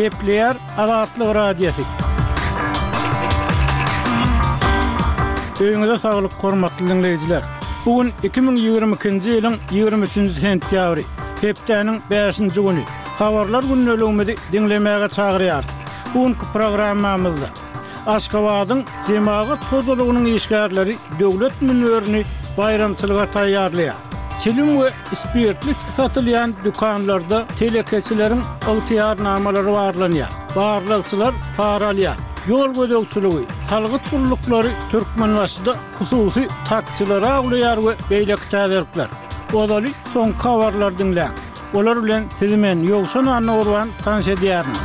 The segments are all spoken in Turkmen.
Gepleýär Azatlyk Radiosy. Öýüňize saglyk, hormatly diňleýjiler! Bu gün 2022-nji ýylyň 23-nji sentýabry, hepdäniň bäşinji güni. Habarlar gündeligimizi diňlemäge çagyrýarys. Bu günki programmamyzda Aşgabadyň jemagat hojalygynyň işgärleri döwlet münberini baýramçylyga taýýarlaýar. Çilim we spirtli içgi satylýan dükanlarda telekeçileriň ygtyýarnamalary barlanýar. Barlagçylar para alýar. Ýol gözegçiligi, salgyt gulluklary Türkmenbaşyda hususy taksileri awlaýar we beýleki täzelikler. Ozaly soňky habarlary diňläň. Olar bilen sizi men, Ýowşan Annagurban tanyş edýärin.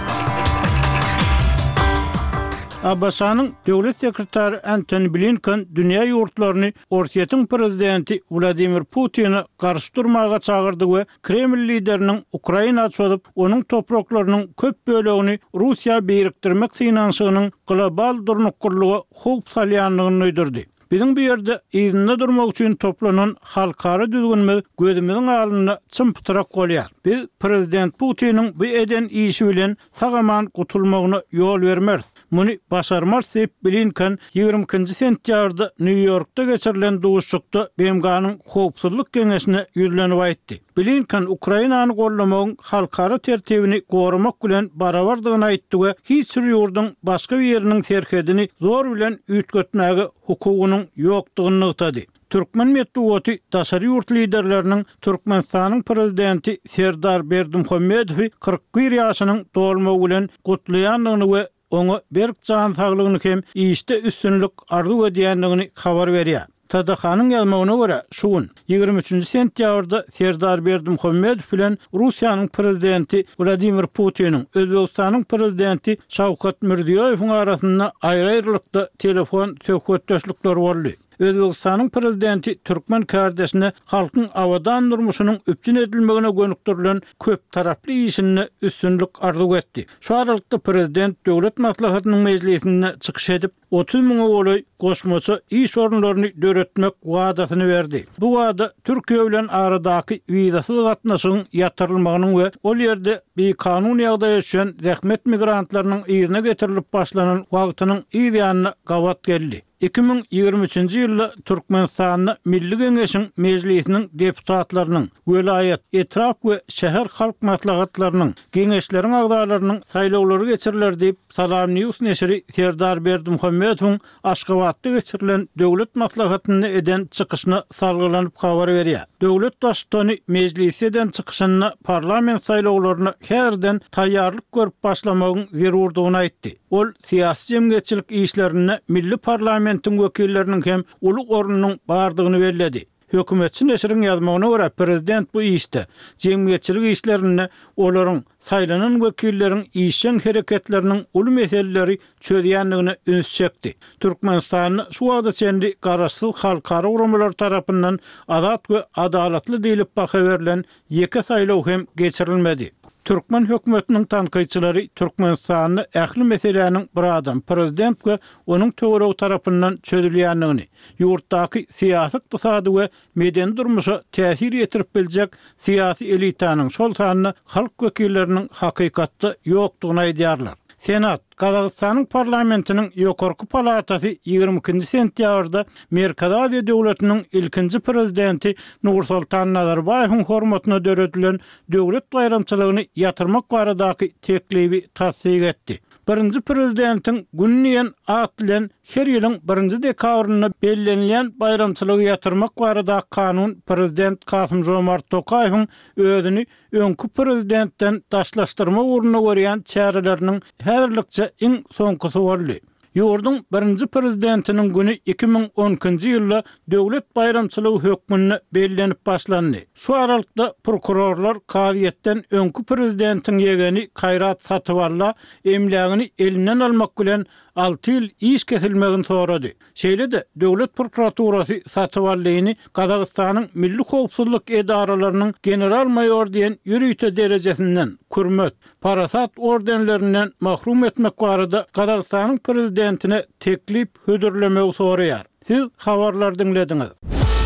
ABŞ-nyň Döwlet sekretary Antony Blinken dünýä ýurtlaryny Orsýetiň prezidenti Wladimir Putine garşy durmaga çagyrdy we Kreml lideriniň Ukraina çozup, onuň topraklarynyň köp bölegini Russiýa birikdirmek synanyşygynyň global durnuklylyga howp salýandygyny duýdurdy. Biziň bu ýerde yzynda durmak üçin toplanan halkara düzgünimiz gözümiziň alnynda çym-pytrak bolýar. Biz prezident Putiniň bu eden işi bilen sag-aman gutulmagyna ýol bermeris. Muny başarmarys diýip, Blinken 22-nji sentýabrda Nýu-Ýorkda geçirilen duşuşykda BMG-niň Howpsuzlyk Geňeşine ýüzlenip aýtdy. Blinken Ukrainany goldamagyň halkara tertibini goramak bilen barabardygyny aýtdy we hiç bir ýurduň başga biriniň serhedini zor bilen üýtgetmäge hukugynyň ýokdugyny nygtady. Türkmen metbugaty daşary ýurt liderleriniň Türkmenistanyň Prezidenti Serdar Berdimuhamedowy 41 ýaşynyň dolmagy bilen gutlaýandygyny we oňa berk jan saglygyny hem işde üstünlik arzuw edýändigini habar berýär. TDH-nyň ýazmagyna görä, şu gün, 23-nji sentýabrda Serdar Berdimuhamedow bilen Russiýanyň Prezidenti Wladimir Putiniň, Özbegistanyň Prezidenti Şawkat Mirziýoýewiň arasynda aýry-aýrylykda telefon söhbetdeşlikleri boldy. Özbegistanyň Prezidenti türkmen kärdeşine halkyň abadan durmuşynyň üpjün edilmegine gönükdirilen köptaraply işinde üstünlik arzuw etdi. Şu aralykda Prezident Döwlet Maslahatynyň mejlisinde çykyş edip, 30 müňe golaý goşmaça iş orunlaryny döretmek wadasyny berdi. Bu wada Türkiýe bilen aradaky wizasyz gatnaşygyň ýatyrylmagynyň we ol ýerde bikanun ýagdaýa düşen zähmet migrantlarynyň yzyna getirilip başlanan wagtynyň yz ýanyna gabat geldi. 2023-nji ýylda Türkmenistanda Milli Geňeşiň Mejlisiniň deputatlarynyň, welaýat, etrap we şäher halk maslahatlarynyň, Geňeşleriň agzalarynyň saýlawlary geçiriler diýip, Salam News neşiri Serdar Berdimuhamedowyň Aşgabatda geçirilen Döwlet maslahatynda eden çykyşyna salgylanyp habar berýär. Döwlet Baştutany mejlisde eden çykyşynda parlament saýlawlaryna häzirden taýýarlyk görüp başlamagyň zerurdygyny aýtdy. Ol syýasy-jemgyýetçilik işlerinde milli parlamentiň wekilleriniň hem uly ornunyň bardygyny belledi. Hökümetçi neşiriň ýazmagyna görä, prezident bu işde, jemgyýetçilik işlerinde olaryň, saýlanan wekilleriň işjeň hereketleriniň uly meseleleri çözýändigine üns çekdi. Türkmenistanda şu wagta çenli garaşsyz halkara guramalary tarapyndan azat we adalatly diýlip baha berlen Ýeke saýlaw hem geçirilmedi. Türkmen hökümetiniň tankytçylary Türkmenistanda ähli meseläniň bir adam, prezident we onuň töweregi tarapyndan çözülýändigini, ýurtdaky syýasy-ykdysady we medeni durmuşa täsir ýetirip biljek syýasy elitanyň, şol sanda halk wekilleriniň hakykatda ýokdugyny aýdýarlar. Senat, Gazagystanyň parlamentiniň ýokarky palatasy 22-nji sentýabrda Merkezi Aziýa döwletiniň ilkinji prezidenti Nursoltan Nazarbaýewiň hormatyna döredilen döwlet baýramçylygyny ýatyrmak baradaky teklibi tassyk etdi. Birinji prezidentiň güni diýen at bilen her ýylyň birinji dekabrynda bellenilýän baýramçylygy ýatyrmak baradaky kanun prezident Kasym-Žomart Tokaýewiň özüni öňki prezidentden daşlaşdyrmak ugrunda görýän çäreleriniň häzirlikçe iň soňkusy boldy. Ýurduň birinji prezidentiniň güni 2012-nji ýylda döwlet baýramçylygy hökmünde bellenip başlandy. Şu aralykda prokurorlar kazyýetden öňki prezidentiň ýegeni Kaýrat Satyballa emlägini elinden almak bilen alty ýyl iş kesilmegini sorady. Şeýle-de, döwlet prokuraturasy Satyballyny Gazagystanyň milli howpsuzlyk edaralarynyň general-maýor diýen ýörite derejesinden, Kurmet, Parasat ordenlerinden mahrum etmek barada Gazagystanyň prezidentine teklip hödürlemegi soraýar. Siz habarlary diňlediňiz.